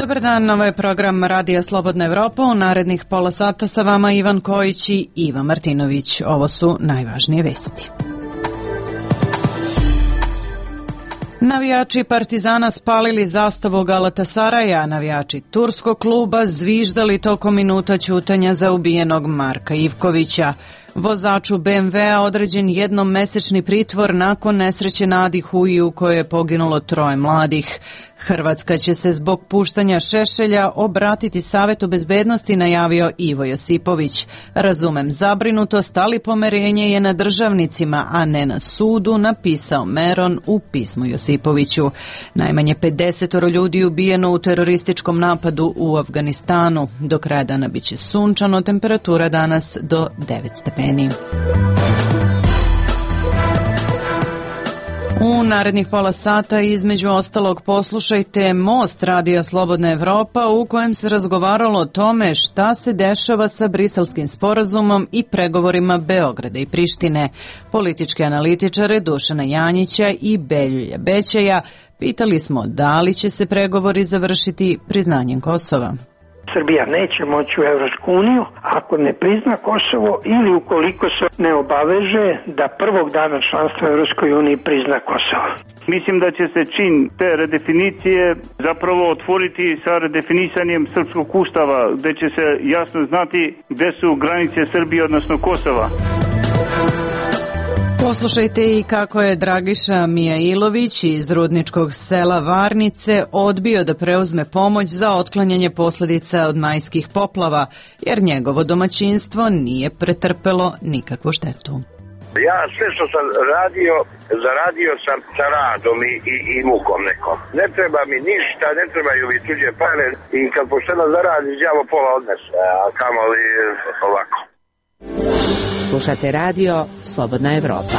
Dobar dan, ovo je program Radija Slobodna Evropa. U narednih pola sata sa vama Ivan Kojić i Iva Martinović. Ovo su najvažnije vesti. Navijači Partizana spalili zastavu Galatasaraja, navijači turskog kluba zviždali tokom minuta ćutanja za ubijenog Marka Ivkovića. Vozaču BMW-a određen jednomesečni pritvor nakon nesreće na Adi Huji u kojoj je poginulo 3 mladih. Hrvatska će se zbog puštanja Šešelja obratiti Savetu bezbednosti, najavio Ivo Josipović. Razumem zabrinutost, ali pomerenje je na državnicima, a ne na sudu, napisao Meron u pismu Josipoviću. Najmanje 50 ljudi ubijeno u terorističkom napadu u Afganistanu. Do kraja dana biće sunčano, temperatura danas do 9 stepeni. U narednih pola sata između ostalog poslušajte Most Radija Slobodna Evropa u kojem se razgovaralo o tome šta se dešava sa Briselskim sporazumom i pregovorima Beograda i Prištine. Političke analitičare Dušana Janjića i Beljulja Bećaja pitali smo da li će se pregovori završiti priznanjem Kosova. Srbija neće moći u Evropsku uniju ako ne prizna Kosovo ili ukoliko se ne obaveže da prvog dana članstva u Evropskoj uniji prizna Kosovo. Mislim da će se čin te redefinicije zapravo otvoriti sa redefinisanjem srpskog ustava, gde će se jasno znati gde su granice Srbije, odnosno Kosova. Poslušajte i kako je Dragiša Mijailović iz rudničkog sela Varnice odbio da preuzme pomoć za otklanjanje posljedica od majskih poplava, jer njegovo domaćinstvo nije pretrpelo nikakvu štetu. Ja sve što sam radio, zaradio sam sa radom i mukom nekom. Ne treba mi ništa, ne trebaju mi tuđe pare i kad pošteno zaradiš, đavo pola odnese, a kamoli ovako. Slušate radio Slobodna Evropa.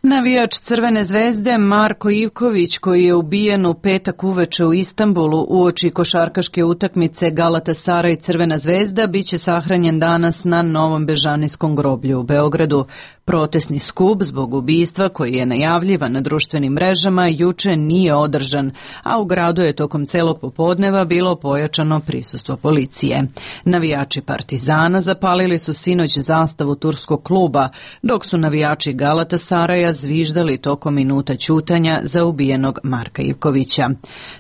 Navijač Crvene zvezde Marko Ivković, koji je ubijen u petak uveče u Istanbulu uoči košarkaške utakmice Galatasaray i Crvena zvezda, biće sahranjen danas na Novom Bežanijskom groblju u Beogradu. Protesni skup zbog ubistva, koji je najavljivan na društvenim mrežama, juče nije održan, a u gradu je tokom celog popodneva bilo pojačano prisustvo policije. Navijači Partizana zapalili su sinoć zastavu turskog kluba, dok su navijači Galatasaraya zviždali tokom minuta ćutanja za ubijenog Marka Ivkovića.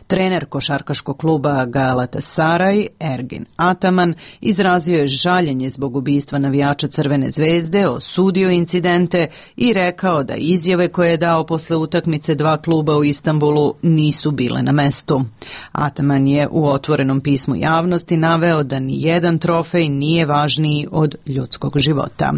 Trener košarkaškog kluba Galatasaray, Ergin Ataman, izrazio je žaljenje zbog ubistva navijača Crvene zvezde, osudio incidente i rekao da izjave koje je dao posle utakmice 2 kluba u Istanbulu nisu bile na mestu. Ataman je u otvorenom pismu javnosti naveo da ni jedan trofej nije važniji od ljudskog života.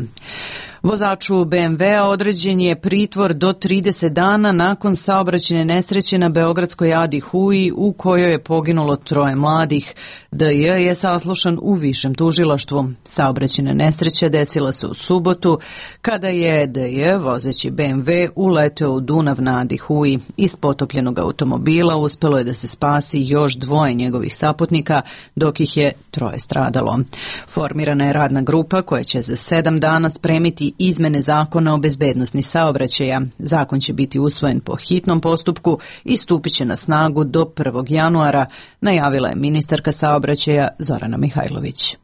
Vozaču BMW-a određen je pritvor do 30 dana nakon saobraćajne nesreće na beogradskoj Adi Huji u kojoj je poginulo 3 mladih. DJ je saslušan u višem tužilaštvu. Saobraćajna nesreća desila se u subotu kada je DJ vozeći BMW uleteo u Dunav na Adi Huji. Iz potopljenog automobila uspelo je da se spasi još 2 njegovih saputnika, dok ih je 3 stradalo. Formirana je radna grupa koja će za 7 dana spremiti izmene zakona o bezbednosti saobraćaja. Zakon će biti usvojen po hitnom postupku i stupit će na snagu do 1. januara, najavila je ministarka saobraćaja Zorana Mihajlović.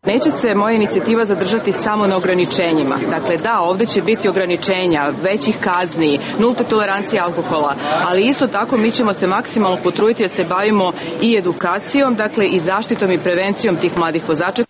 Neće se moja inicijativa zadržati samo na ograničenjima. Dakle, da, ovdje će biti ograničenja, većih kazni, nulte tolerancije alkohola, ali isto tako mi ćemo se maksimalno potruditi da se bavimo i edukacijom, dakle i zaštitom i prevencijom tih mladih vozača.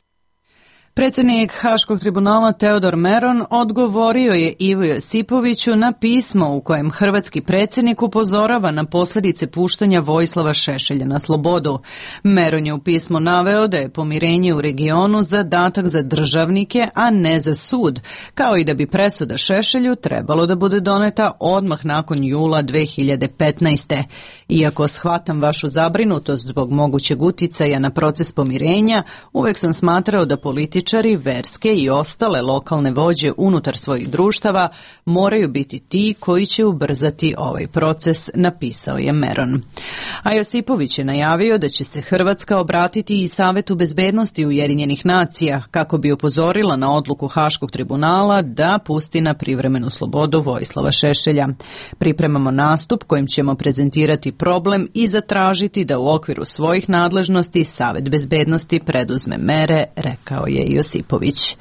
Predsjednik Haškog tribunala Teodor Meron odgovorio je Ivo Josipoviću na pismo u kojem hrvatski predsjednik upozorava na posljedice puštanja Vojislava Šešelja na slobodu. Meron je u pismu naveo da je pomirenje u regionu zadatak za državnike, a ne za sud, kao i da bi presuda Šešelju trebalo da bude doneta odmah nakon jula 2015. Iako shvatam vašu zabrinutost zbog mogućeg uticaja na proces pomirenja, uvek sam smatrao da politički političari, verske i ostale lokalne vođe unutar svojih društava moraju biti ti koji će ubrzati ovaj proces, napisao je Meron. A Josipović je najavio da će se Hrvatska obratiti i Savetu bezbednosti Ujedinjenih nacija kako bi upozorila na odluku Haškog tribunala da pusti na privremenu slobodu Vojislava Šešelja. Pripremamo nastup kojim ćemo prezentirati problem i zatražiti da u okviru svojih nadležnosti Savet bezbednosti preduzme mere, rekao je Josipović.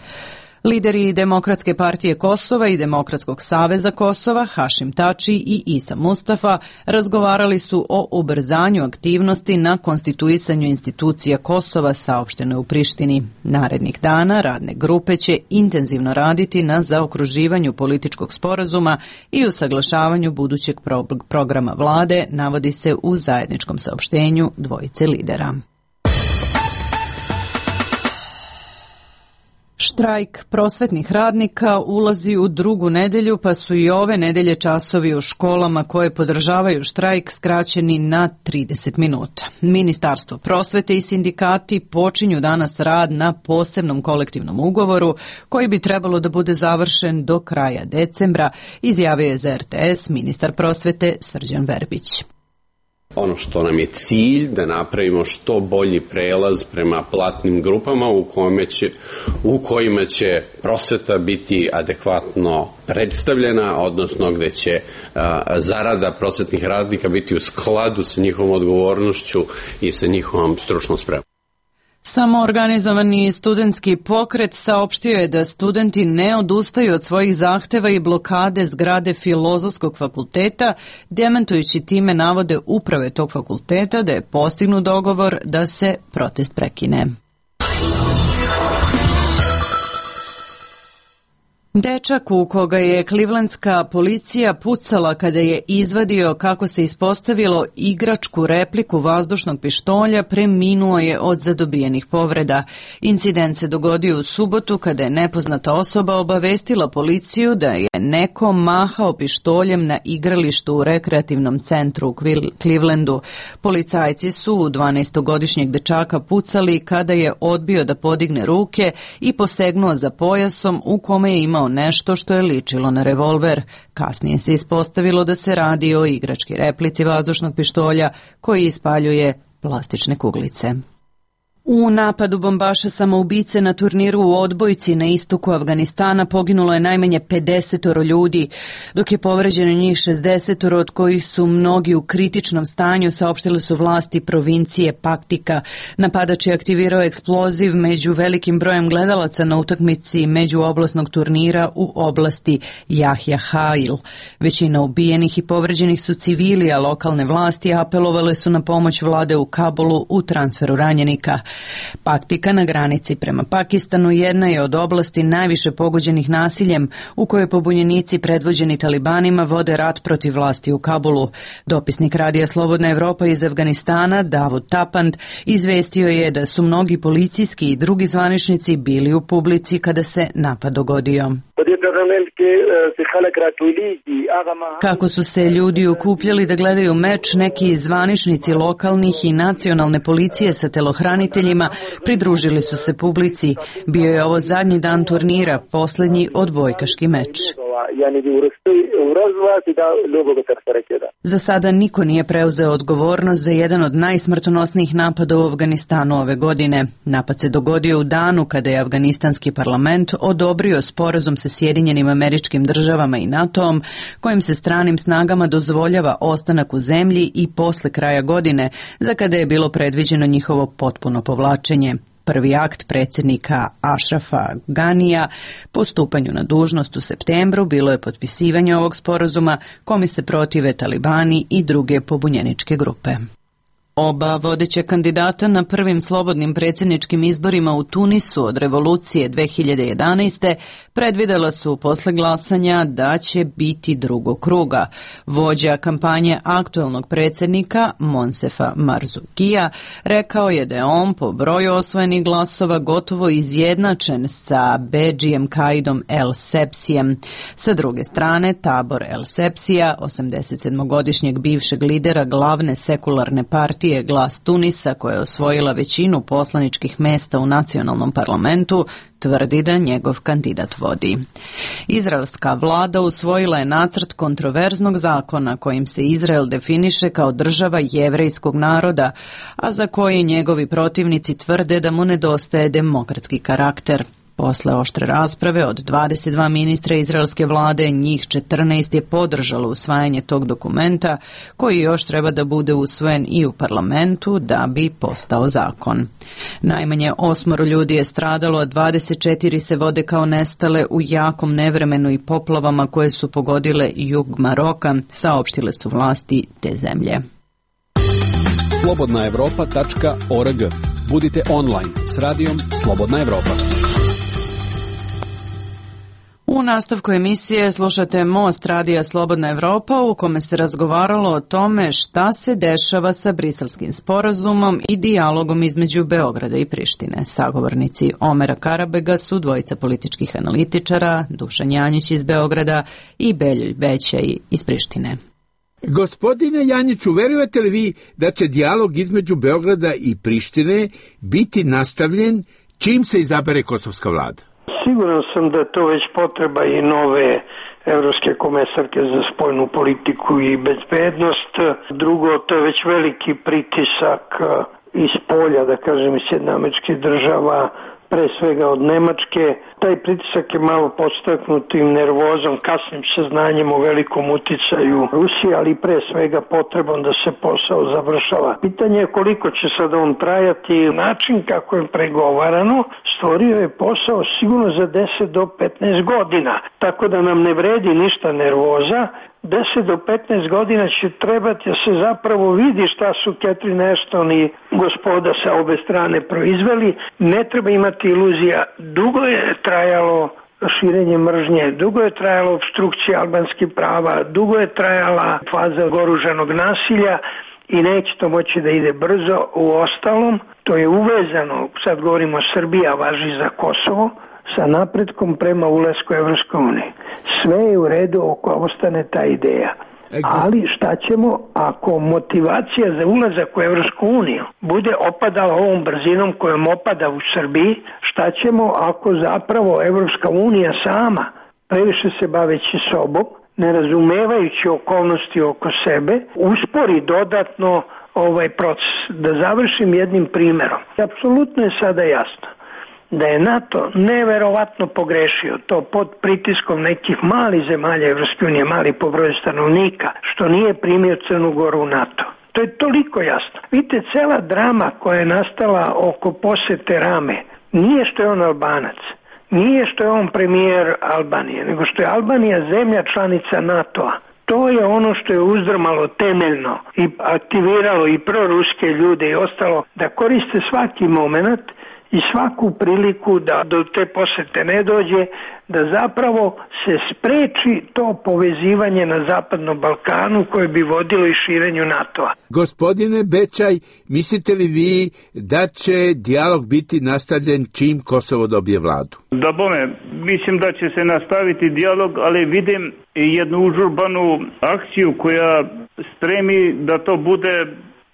Lideri Demokratske partije Kosova i Demokratskog saveza Kosova, Hašim Tači i Isa Mustafa, razgovarali su o ubrzanju aktivnosti na konstituisanju institucija Kosova, saopšteno u Prištini. Narednih dana radne grupe će intenzivno raditi na zaokruživanju političkog sporazuma i usaglašavanju budućeg programa vlade, navodi se u zajedničkom saopštenju dvojice lidera. Štrajk prosvetnih radnika ulazi u drugu nedelju, pa su i ove nedelje časovi u školama koje podržavaju štrajk skraćeni na 30 minuta. Ministarstvo prosvete i sindikati počinju danas rad na posebnom kolektivnom ugovoru koji bi trebalo da bude završen do kraja decembra, izjavio je za RTS ministar prosvete Srđan Verbić. Ono što nam je cilj da napravimo što bolji prelaz prema platnim grupama u kojima će prosveta biti adekvatno predstavljena, odnosno gde će zarada prosvetnih radnika biti u skladu sa njihovom odgovornošću i sa njihovom stručnom spremom. Samoorganizovani studentski pokret saopštio je da studenti ne odustaju od svojih zahteva i blokade zgrade Filozofskog fakulteta, demantujući time navode uprave tog fakulteta da je postignut dogovor da se protest prekine. Dečak u koga je Clevelandska policija pucala kada je izvadio, kako se ispostavilo, igračku repliku vazdušnog pištolja, preminuo je od zadobijenih povreda. Incident se dogodio u subotu kada je nepoznata osoba obavestila policiju da je neko mahao pištoljem na igralištu u rekreativnom centru u Clevelandu. Policajci su u 12-godišnjeg dečaka pucali kada je odbio da podigne ruke i posegnuo za pojasom u kome je imao nešto što je ličilo na revolver. Kasnije se ispostavilo da se radi o igrački replici vazdušnog pištolja koji ispaljuje plastične kuglice. U napadu bombaša samoubice na turniru u odbojci na istoku Afganistana poginulo je najmanje 50 ljudi, dok je povređeno njih 60, od kojih su mnogi u kritičnom stanju, saopštile su vlasti provincije Paktika. Napadač je aktivirao eksploziv među velikim brojem gledalaca na utakmici međuoblastnog turnira u oblasti Jahja Hail. Većina ubijenih i povređenih su civili, a lokalne vlasti apelovale su na pomoć vlade u Kabulu u transferu ranjenika. Paktika na granici prema Pakistanu jedna je od oblasti najviše pogođenih nasiljem, u kojoj pobunjenici predvođeni talibanima vode rat protiv vlasti u Kabulu. Dopisnik radija Slobodna Evropa iz Afganistana, Davud Tapand, izvestio je da su mnogi policijski i drugi zvaničnici bili u publici kada se napad dogodio. Kako su se ljudi okupljali da gledaju meč, neki zvaničnici lokalnih i nacionalne policije sa telohraniteljima pridružili su se publici. Bio je ovo zadnji dan turnira, posljednji odbojkaški meč. Za sada niko nije preuzeo odgovornost za jedan od najsmrtonosnijih napada u Afganistanu ove godine. Napad se dogodio u danu kada je afganistanski parlament odobrio sporazum sa Sjedinjenim Američkim Državama i NATO-om, kojim se stranim snagama dozvoljava ostanak u zemlji i posle kraja godine, za kada je bilo predviđeno njihovo potpuno povlačenje. Prvi akt predsjednika Ašrafa Ganija po stupanju na dužnost u septembru bilo je potpisivanje ovog sporazuma, kome se protive talibani i druge pobunjeničke grupe. Oba vodeća kandidata na prvim slobodnim predsjedničkim izborima u Tunisu od revolucije 2011. predvidela su posle glasanja da će biti drugog kruga. Vođa kampanje aktuelnog predsjednika Monsefa Marzoukija rekao je da je on po broju osvojenih glasova gotovo izjednačen sa Bedžijem Kaidom El Sepsijem. Sa druge strane, tabor El Sepsija, 87-godišnjeg bivšeg lidera glavne sekularne partije partije Glas Tunisa, koja je osvojila većinu poslaničkih mesta u nacionalnom parlamentu, tvrdi da njegov kandidat vodi. Izraelska vlada usvojila je nacrt kontroverznog zakona kojim se Izrael definiše kao država jevrejskog naroda, a za koji njegovi protivnici tvrde da mu nedostaje demokratski karakter. Posle oštre rasprave od 22 ministra izraelske vlade, njih 14 je podržalo usvajanje tog dokumenta, koji još treba da bude usvojen i u parlamentu da bi postao zakon. Najmanje 8 ljudi je stradalo, a 24 se vode kao nestale u jakom nevremenu i poplavama koje su pogodile jug Maroka, saopštile su vlasti te zemlje. Slobodnaevropa.org. Budite online s radijom Slobodna Evropa. U nastavku emisije slušate Most radija Slobodna Evropa, u kome se razgovaralo o tome šta se dešava sa Briselskim sporazumom i dijalogom između Beograda i Prištine. Sagovornici Omera Karabega su dvojica političkih analitičara, Dušan Janjić iz Beograda i Beljulj Bećaj iz Prištine. Gospodine Janjiću, verujete li vi da će dijalog između Beograda i Prištine biti nastavljen čim se izabere kosovska vlada? Siguran sam da to već potreba i nove evropske komesarke za spoljnu politiku i bezbednost. Drugo, to je već veliki pritisak iz polja, da kažem, iz Sjedinjenih Američkih Država, pre svega od Nemačke. Taj pritisak je malo podstaknut tim nervozom, kasnim saznanjem o velikom uticaju Rusije, ali pre svega potrebom da se posao završava. Pitanje je koliko će sad on trajati. Način kako je pregovarano stvorio je posao sigurno za 10 do 15 godina, tako da nam ne vredi ništa nervoza. 10 do 15 godina će trebati da se zapravo vidi šta su Catherine Ashton i gospoda sa obe strane proizveli. Ne treba imati iluzija. Dugo je trajalo širenje mržnje, dugo je trajalo opstrukcija albanskih prava, dugo je trajala faza oružanog nasilja i neće to moći da ide brzo. U ostalom, to je uvezano, sad govorimo Srbija, važi za Kosovo, sa napretkom prema ulasku u Evropsku uniju. Sve je u redu ako ostane ta ideja. Ali šta ćemo ako motivacija za ulazak u Evropsku uniju bude opadala ovom brzinom kojom opada u Srbiji? Šta ćemo ako zapravo Evropska unija sama, previše se baveći sobom, ne razumevajući okolnosti oko sebe, uspori dodatno ovaj proces? Da završim jednim primjerom. Apsolutno je sada jasno da je NATO neverovatno pogrešio, to pod pritiskom nekih malih zemalja Evropske unije, mali po broju stanovnika, što nije primio Crnu Goru u NATO. To je toliko jasno. Vidite, cela drama koja je nastala oko posete Rame nije što je on Albanac, nije što je on premijer Albanije, nego što je Albanija zemlja članica NATO-a. To je ono što je uzdrmalo temeljno i aktiviralo i proruske ljude i ostalo da koriste svaki moment i svaku priliku da do te posete ne dođe, da zapravo se spreči to povezivanje na Zapadnom Balkanu koje bi vodilo i širenju NATO-a. Gospodine Bećaj, mislite li vi da će dijalog biti nastavljen čim Kosovo dobije vladu? Da bome, mislim da će se nastaviti dijalog, ali vidim i jednu užurbanu akciju koja stremi da to bude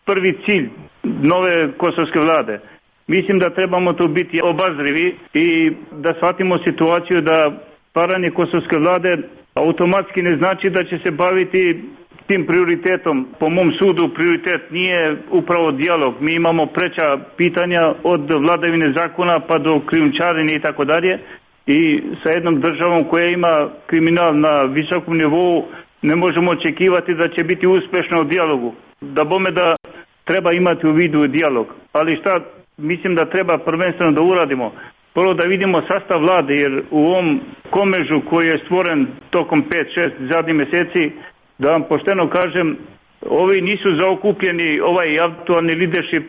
prvi cilj nove kosovske vlade. Mislim da trebamo tu biti obazrivi i da shvatimo situaciju da paranje kosovske vlade automatski ne znači da će se baviti tim prioritetom. Po mom sudu prioritet nije upravo dijalog. Mi imamo preča pitanja od vladavine zakona pa do krijumčarenja i tako dalje. I sa jednom državom koja ima kriminal na visokom nivou ne možemo očekivati da će biti uspešna u dijalogu. Da bome da treba imati u vidu dijalog. Ali šta mislim da treba prvenstveno da uradimo? Prvo da vidimo sastav vlade, jer u ovom komežu koji je stvoren tokom 5-6 zadnjih meseci, da vam pošteno kažem, ovi nisu zaokupljeni, ovaj aktualni leadership,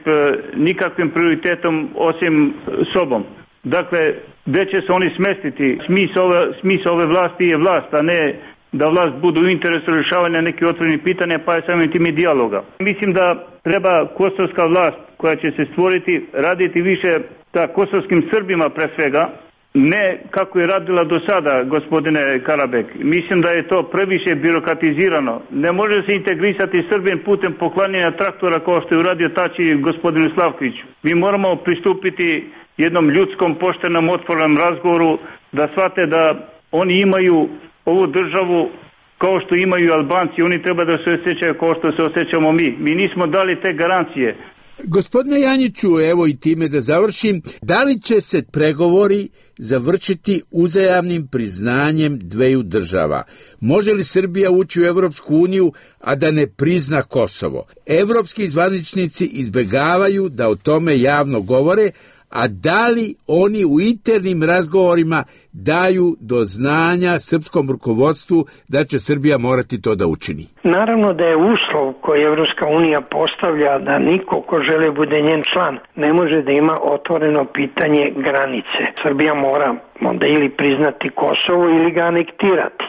nikakvim prioritetom osim sobom. Dakle, gde će se oni smestiti? Smisao ove vlasti je vlast, a ne da vlast budu u interesu rješavanja nekih otvorenih pitanja, pa je samim tim i dijaloga. Mislim da treba kosovska vlast koja će se stvoriti raditi više sa kosovskim Srbima pre svega, ne kako je radila do sada, gospodine Karabek. Mislim da je to previše birokratizirano. Ne može se integrisati Srbin putem poklanjanja traktora kao što je uradio Tači gospodinu Slavkoviću. Mi moramo pristupiti jednom ljudskom, poštenom, otvorenom razgovoru, da shvate da oni imaju ovu državu kao što imaju Albanci. Oni treba da se osjećaju kao što se osjećamo mi. Mi nismo dali te garancije. Gospodine Janjiću, evo i time da završim, da li će se pregovori završiti uzajamnim priznanjem dveju država? Može li Srbija ući u Evropsku uniju, a da ne prizna Kosovo? Evropski zvaničnici izbegavaju da o tome javno govore, a da li oni u internim razgovorima daju do znanja srpskom rukovodstvu da će Srbija morati to da učini? Naravno da je uslov koji Evropska unija postavlja da niko ko želi bude njen član ne može da ima otvoreno pitanje granice. Srbija mora onda ili priznati Kosovo ili ga anektirati.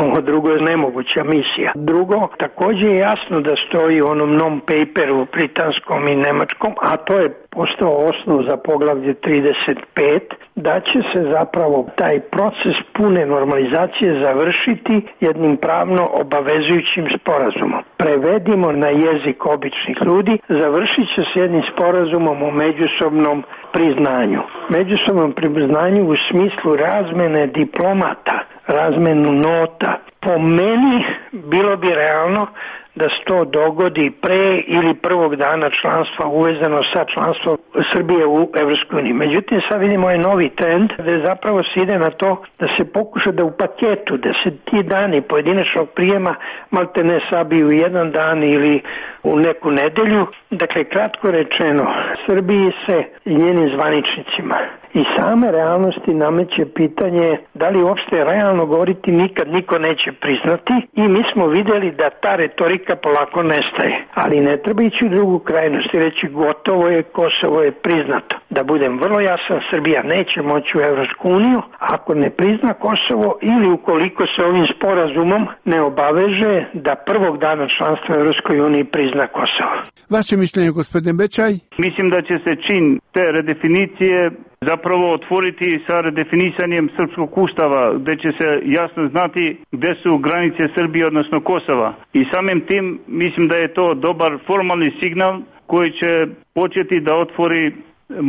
Ovo drugo je nemoguća misija. Drugo, takođe je jasno da stoji u onom non-paperu britanskom i nemačkom, a to je postao osnov za poglavlje 35, da će se zapravo taj proces pune normalizacije završiti jednim pravno obavezujućim sporazumom. Prevedimo na jezik običnih ljudi, završit će se jednim sporazumom o međusobnom priznanju. Međusobnom priznanju u smislu razmene diplomata, razmenu nota. Po meni bilo bi realno da se to dogodi pre ili prvog dana članstva uvezano sa članstvom Srbije u EU. Međutim, sad vidimo ovaj novi trend da zapravo se ide na to da se pokuša da u paketu, da se ti dani pojedinačnog prijema malte ne sabiju u jedan dan ili u neku nedelju. Dakle, kratko rečeno, Srbiji se i njenim zvaničnicima i same realnosti nameće pitanje da li uopšte realno govoriti nikad niko neće priznati i mi smo vidjeli da ta retorika polako nestaje. Ali ne treba ići u drugu krajnost i reći gotovo je, Kosovo je priznato. Da budem vrlo jasan, Srbija neće moći u Evropsku uniju ako ne prizna Kosovo ili ukoliko se ovim sporazumom ne obaveže da prvog dana članstva u Evropskoj uniji prizna Kosovo. Vaše mišljenje, gospodine Bečaj? Mislim da će se čin te redefinicije zapravo otvoriti sa redefinisanjem srpskog ustava, gde će se jasno znati gde su granice Srbije, odnosno Kosova. I samim tim mislim da je to dobar formalni signal koji će početi da otvori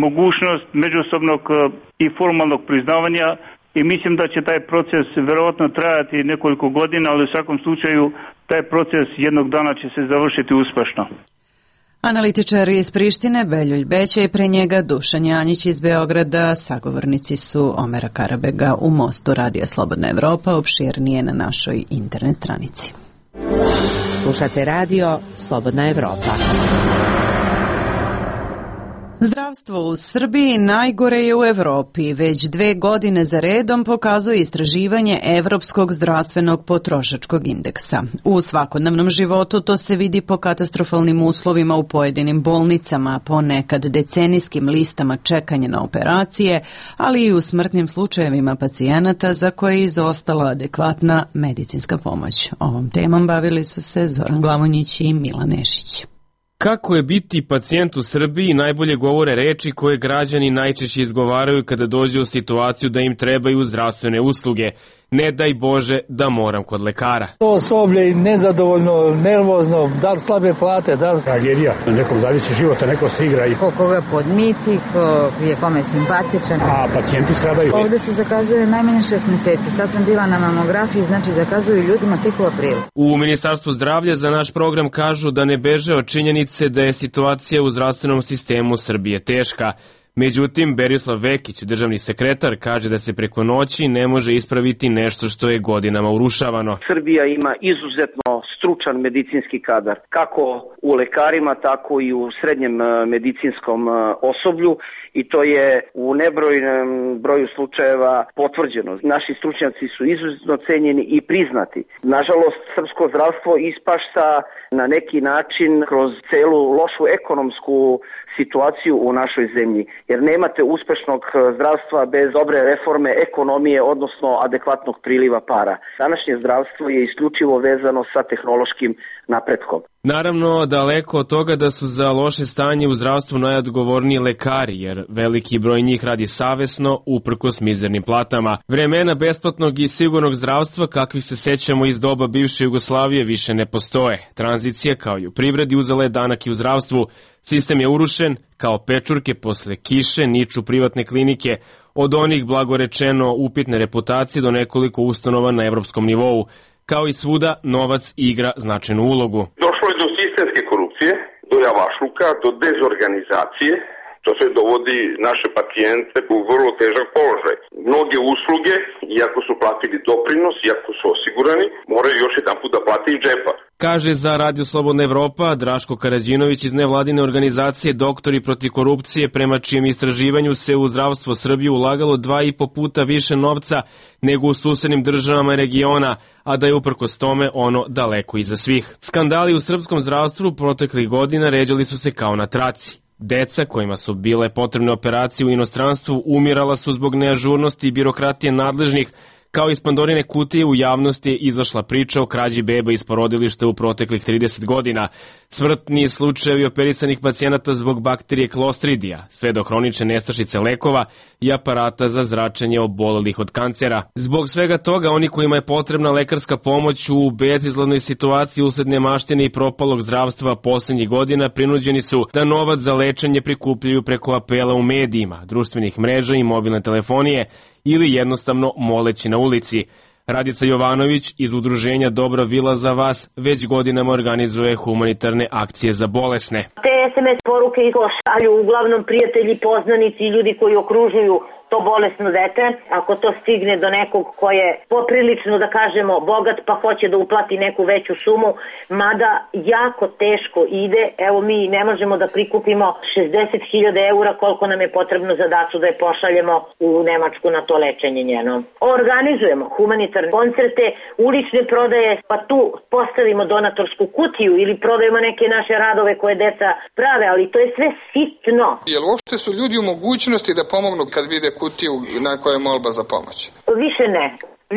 mogućnost međusobnog i formalnog priznavanja i mislim da će taj proces verovatno trajati nekoliko godina, ali u svakom slučaju taj proces jednog dana će se završiti uspešno. Analitičar iz Prištine Beljulj Beća i pre njega Dušan Janjić iz Beograda, sagovornici su Omera Karabega u Mostu Radija Slobodna Evropa, opširnije na našoj internet stranici. Slušate radio Slobodna Evropa. Zdravstvo u Srbiji najgore je u Evropi. Već 2 godine za redom pokazuje istraživanje Evropskog zdravstvenog potrošačkog indeksa. U svakodnevnom životu to se vidi po katastrofalnim uslovima u pojedinim bolnicama, ponekad decenijskim listama čekanja na operacije, ali i u smrtnim slučajevima pacijenata za koje je izostala adekvatna medicinska pomoć. Ovom temom bavili su se Zoran Glavonjić i Milan Nešić. Kako je biti pacijent u Srbiji najbolje govore reči koje građani najčešće izgovaraju kada dođu u situaciju da im trebaju zdravstvene usluge. Ne daj Bože da moram kod lekara. To osoblje nezadovoljno, nervozno, da li slabe plate, da li... Tragedija, nekom zavisi života, neko se igra i... Koga podmiti, ko je kome simpatičan. A pacijenti stradaju. Ovde se zakazuje najmanje 6 meseci. Sad sam bila na mamografiji, znači zakazuju ljudima tek u aprilu. U Ministarstvu zdravlja za naš program kažu da ne beže od činjenice da je situacija u zdravstvenom sistemu Srbije teška. Međutim, Berislav Vekić, državni sekretar, kaže da se preko noći ne može ispraviti nešto što je godinama urušavano. Srbija ima izuzetno stručan medicinski kadar, kako u lekarima, tako i u srednjem medicinskom osoblju i to je u nebrojnom broju slučajeva potvrđeno. Naši stručnjaci su izuzetno cenjeni i priznati. Nažalost, srpsko zdravstvo ispašta na neki način kroz celu lošu ekonomsku situaciju u našoj zemlji, jer nemate uspešnog zdravstva bez dobre reforme ekonomije, odnosno adekvatnog priliva para. Današnje zdravstvo je isključivo vezano sa tehnološkim napretkom. Naravno, daleko od toga da su za loše stanje u zdravstvu najodgovorniji lekari, jer veliki broj njih radi savesno, uprkos mizernim platama. Vremena besplatnog i sigurnog zdravstva, kakvih se sećamo iz doba bivše Jugoslavije, više ne postoje. Tranzicija, kao i u privredi, uzela je danak i u zdravstvu. Sistem je urušen, kao pečurke posle kiše niču privatne klinike, od onih blagorečeno upitne reputacije do nekoliko ustanova na evropskom nivou. Kao i svuda, novac igra značajnu ulogu. Došlo je do sistemske korupcije, do javašluka, do dezorganizacije. To sve dovodi naše pacijente u vrlo težak položaj. Mnoge usluge, iako su platili doprinos, iako su osigurani, moraju još jedan put da plati iz džepa. Kaže za Radio Slobodna Evropa Draško Karađinović iz nevladine organizacije Doktori protiv korupcije, prema čijem istraživanju se u zdravstvo Srbije ulagalo 2,5 puta više novca nego u susednim državama regiona, a da je uprkos tome ono daleko iza svih. Skandali u srpskom zdravstvu proteklih godina ređali su se kao na traci. Deca kojima su bile potrebne operacije u inostranstvu umirala su zbog neažurnosti i birokratije nadležnih, kao iz Pandorine kutije u javnosti je izašla priča o krađi beba iz porodilišta u proteklih 30 godina, smrtni slučajevi operisanih pacijenata zbog bakterije Clostridija, sve do hronične nestašice lekova i aparata za zračenje obolelih od kancera. Zbog svega toga, oni kojima je potrebna lekarska pomoć u bezizlaznoj situaciji usled nemaštine i propalog zdravstva poslednjih godina prinuđeni su da novac za lečenje prikupljaju preko apela u medijima, društvenih mreža i mobilne telefonije, ili jednostavno moleći na ulici. Radica Jovanović iz udruženja Dobra vila za vas već godinama organizuje humanitarne akcije za bolesne. Te SMS poruke šalju uglavnom prijatelji, poznanici i ljudi koji okružuju to bolesno dete. Ako to stigne do nekog ko je poprilično, da kažemo, bogat pa hoće da uplati neku veću sumu, mada jako teško ide. Evo, mi ne možemo da prikupimo 60.000 eura koliko nam je potrebno za dacu da je pošaljemo u Nemačku na to lečenje njeno. Organizujemo humanitarne koncerte, ulične prodaje, pa tu postavimo donatorsku kutiju ili prodajemo neke naše radove koje deca prave, ali to je sve sitno. Jel uopšte su ljudi u mogućnosti da pomognu kad vide kutiju na kojoj je molba za pomoć? Više ne.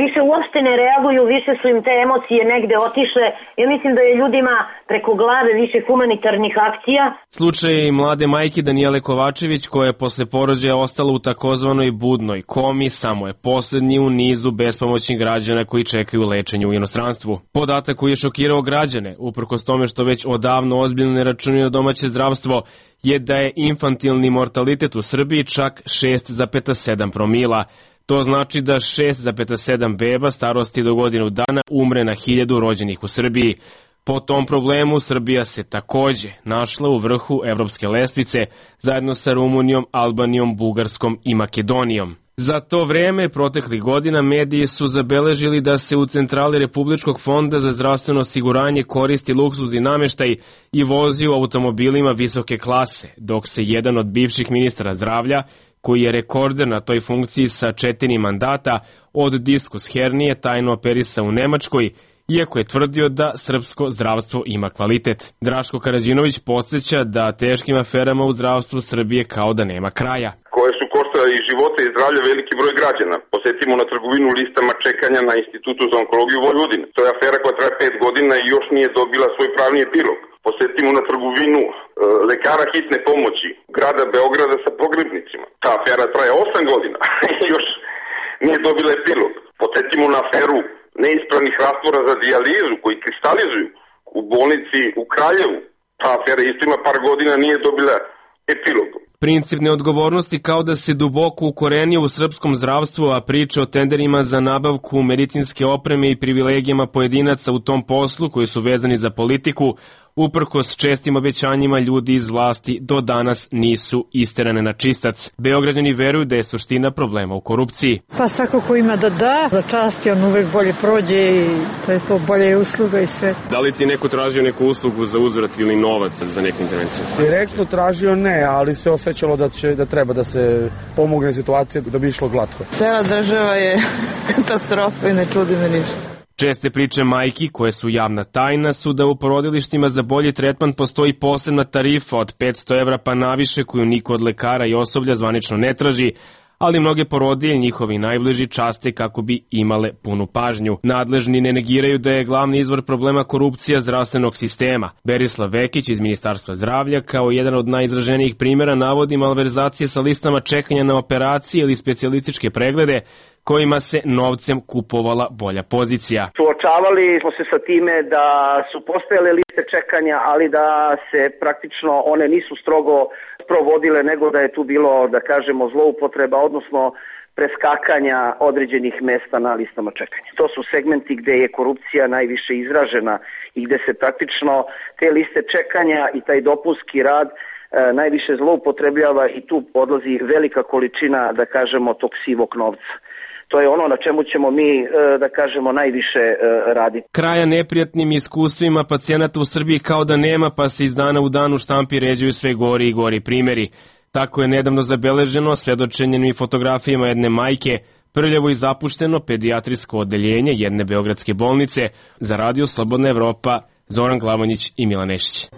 Više uopšte ne reaguju, više su im te emocije negde otišle. Ja mislim da je ljudima preko glave više humanitarnih akcija. Slučaj je i mlade majke Danijele Kovačević, koja je posle porođaja ostala u takozvanoj budnoj komi, samo je poslednji u nizu bespomoćnih građana koji čekaju lečenje u inostranstvu. Podatak koji je šokirao građane, uprkos tome što već odavno ozbiljno ne računaju na domaće zdravstvo, je da je infantilni mortalitet u Srbiji čak 6,7 promila. To znači da 6,7 beba starosti do godinu dana umre na 1000 rođenih u Srbiji. Po tom problemu Srbija se takođe našla u vrhu evropske lestvice zajedno sa Rumunijom, Albanijom, Bugarskom i Makedonijom. Za to vreme, proteklih godina, mediji su zabeležili da se u centrali Republičkog fonda za zdravstveno osiguranje koristi luksuzni nameštaj i vozi u automobilima visoke klase, dok se jedan od bivših ministara zdravlja, koji je rekorder na toj funkciji sa 4 mandata, od diskus hernije tajno operisa u Nemačkoj, iako je tvrdio da srpsko zdravstvo ima kvalitet. Draško Karađinović podsjeća da teškim aferama u zdravstvu Srbije kao da nema kraja. Koje su koštale i života i zdravlja veliki broj građana. Posetimo na trgovinu listama čekanja na Institutu za onkologiju Vojvodine. To je afera koja traje 5 godina i još nije dobila svoj pravni epilog. Posetimo na trgovinu lekara hitne pomoći grada Beograda sa pogrebnicima. Ta afera traje 8 godina i još nije dobila epilog. Posetimo na aferu neispravnih rastvora za dijalizu koji kristalizuju u bolnici u Kraljevu. Ta afera isto ima par godina, nije dobila epilog. Princip neodgovornosti kao da se duboko ukorenio u srpskom zdravstvu, a priče o tenderima za nabavku medicinske opreme i privilegijama pojedinaca u tom poslu koji su vezani za politiku, uprkos čestim obećanjima ljudi iz vlasti, do danas nisu isterane na čistac. Beograđani veruju da je suština problema u korupciji. Pa svako ko ima da za časti, on uvek bolje prođe i to je to, bolje usluga i sve. Da li ti neko tražio neku uslugu za uzvrat ili novac za neku intervenciju? Direktno tražio ne, ali se osjećalo da treba da se pomogne situacija da bi išlo glatko. Cela država je katastrofa i ne čudi me ništa. Česte priče majki, koje su javna tajna, su da u porodilištima za bolji tretman postoji posebna tarifa od 500 evra pa naviše koju niko od lekara i osoblja zvanično ne traži, ali mnoge porodilje i njihovi najbliži časte kako bi imale punu pažnju. Nadležni ne negiraju da je glavni izvor problema korupcija zdravstvenog sistema. Berislav Vekić iz Ministarstva zdravlja kao jedan od najizraženijih primjera navodi malverzacije sa listama čekanja na operacije ili specijalističke preglede kojima se novcem kupovala bolja pozicija. Suočavali smo se sa time da su postojale liste čekanja, ali da se praktično one nisu strogo provodile, nego da je tu bilo, da kažemo, zloupotreba, odnosno preskakanja određenih mesta na listama čekanja. To su segmenti gde je korupcija najviše izražena i gde se praktično te liste čekanja i taj dopunski rad najviše zloupotrebljava i tu odlazi velika količina, da kažemo, tog sivog novca. To je ono na čemu ćemo mi, da kažemo, najviše raditi. Kraja neprijatnim iskustvima pacijenata u Srbiji kao da nema, pa se iz dana u dan u štampi ređuju sve gori i gori primjeri. Tako je nedavno zabeleženo svedočenjem i fotografijama jedne majke, prljavo i zapušteno pedijatrijsko odeljenje jedne beogradske bolnice. Za Radio Slobodna Evropa, Zoran Glavonjić i Milan Nešić.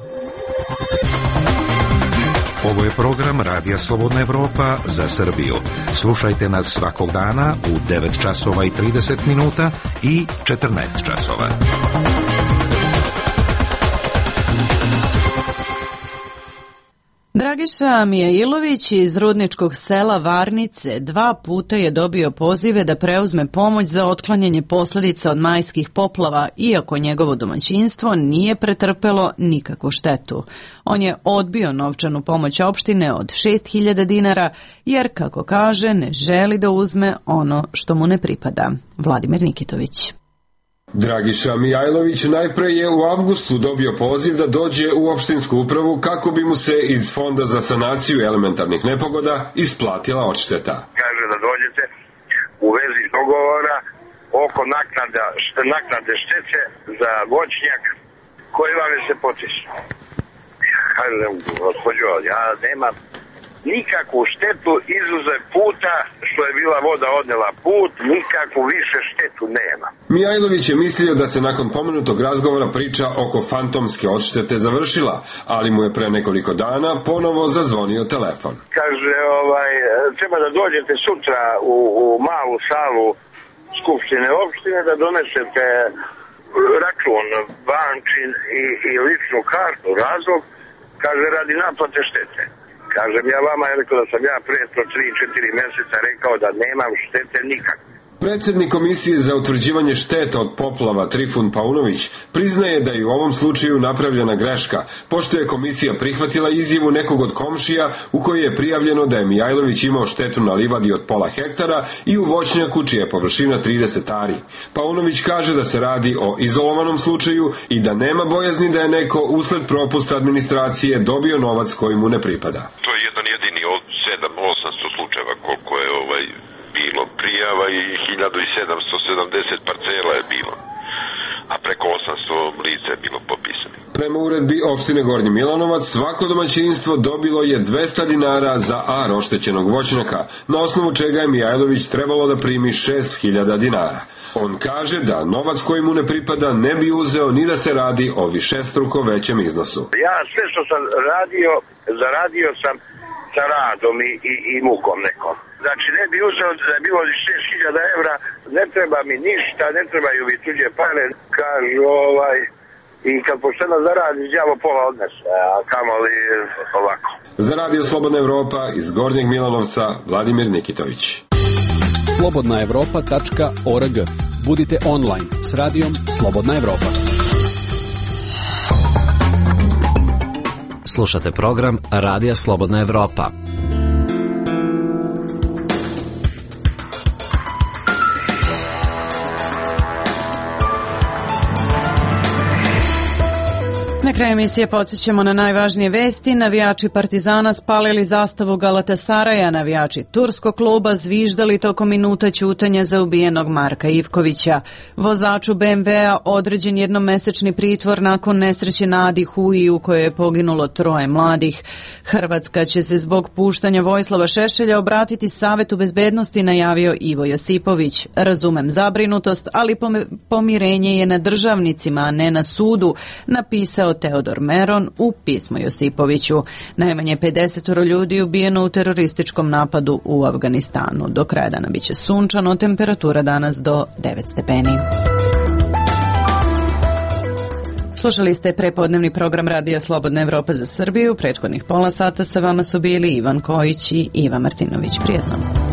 Ovo je program Radija Slobodna Evropa za Srbiju. Slušajte nas svakog dana u 9 časova i 30 minuta i 14 časova. Dragiša Mijailović iz rudničkog sela Varnice 2 puta je dobio pozive da preuzme pomoć za otklanjanje posljedica od majskih poplava, iako njegovo domaćinstvo nije pretrpelo nikakvu štetu. On je odbio novčanu pomoć opštine od 6.000 dinara, jer, kako kaže, ne želi da uzme ono što mu ne pripada. Vladimir Nikitović. Dragiša Mijailović najpre je u avgustu dobio poziv da dođe u opštinsku upravu kako bi mu se iz Fonda za sanaciju elementarnih nepogoda isplatila odšteta. Kaže da dođete u vezi dogovora oko naknade štete za voćnjak koji vam je se potisnuo. Kaže, gospođo, ja nemam nikakvu štetu izuzev puta što je bila voda odnela put, nikakvu više štetu nema. Mijailović je mislio da se nakon pomenutog razgovora priča oko fantomske odštete završila, ali mu je pre nekoliko dana ponovo zazvonio telefon. Kaže, treba da dođete sutra u malu salu Skupštine opštine da donesete račun bančin i ličnu kartu, razlog, kaže, radi naplate štete. Kažem ja vama, je rekao da sam ja pre 3-4 mjeseca rekao da nemam štete nikakve. Predsjednik Komisije za utvrđivanje šteta od poplava Trifun Paunović priznaje da je u ovom slučaju napravljena greška, pošto je komisija prihvatila izjavu nekog od komšija u kojoj je prijavljeno da je Mijailović imao štetu na livadi od pola hektara i u voćnjaku čija je površina 30 ari. Paunović kaže da se radi o izolovanom slučaju i da nema bojazni da je neko usled propusta administracije dobio novac koji mu ne pripada. To je jedan jedini od 700-800 slučajeva koliko je bilo prijava i 1770 parcela je bilo, a preko 800 lica je bilo popisano. Prema uredbi opštine Gornji Milanovac, svako domaćinstvo dobilo je 200 dinara za ar oštećenog voćnjaka, na osnovu čega je Mijailović trebalo da primi 6.000 dinara. On kaže da novac koji mu ne pripada ne bi uzeo ni da se radi o višestruko većem iznosu. Ja sve što sam radio, zaradio sam sa radom i mukom nekom. Znači ne bi uzeo da je bilo 6.000 evra, ne treba mi ništa, ne trebaju mi tuđe pare, kažu i kad pošteno zaradi, đavo pola odnese, a kamoli ovako. Za Radio Slobodna Evropa iz Gornjeg Milanovca, Vladimir Nikitović. slobodnaevropa.org. Budite online s radijom Slobodna Evropa. Slušate program Radija Slobodna Evropa. Na kraju emisije podsjećamo na najvažnije vesti. Navijači Partizana spalili zastavu Galatasaraja, navijači turskog kluba zviždali tokom minuta ćutanja za ubijenog Marka Ivkovića. Vozaču BMW-a određen jednomesečni pritvor nakon nesreće na Adi Huji u kojoj je poginulo 3 mladih. Hrvatska će se zbog puštanja Vojislava Šešelja obratiti Savetu bezbednosti, najavio Ivo Josipović. Razumem zabrinutost, ali pomirenje je na državnicima, a ne na sudu, napisao Teodor Meron u pismu Josipoviću. Najmanje 50 ljudi ubijeno u terorističkom napadu u Afganistanu. Do kraja dana biće sunčano, temperatura danas do 9 stepeni. Slušali ste prepodnevni program Radija Slobodna Evropa za Srbiju. Prethodnih pola sata sa vama su bili Ivan Kojić i Iva Martinović. Prijetno.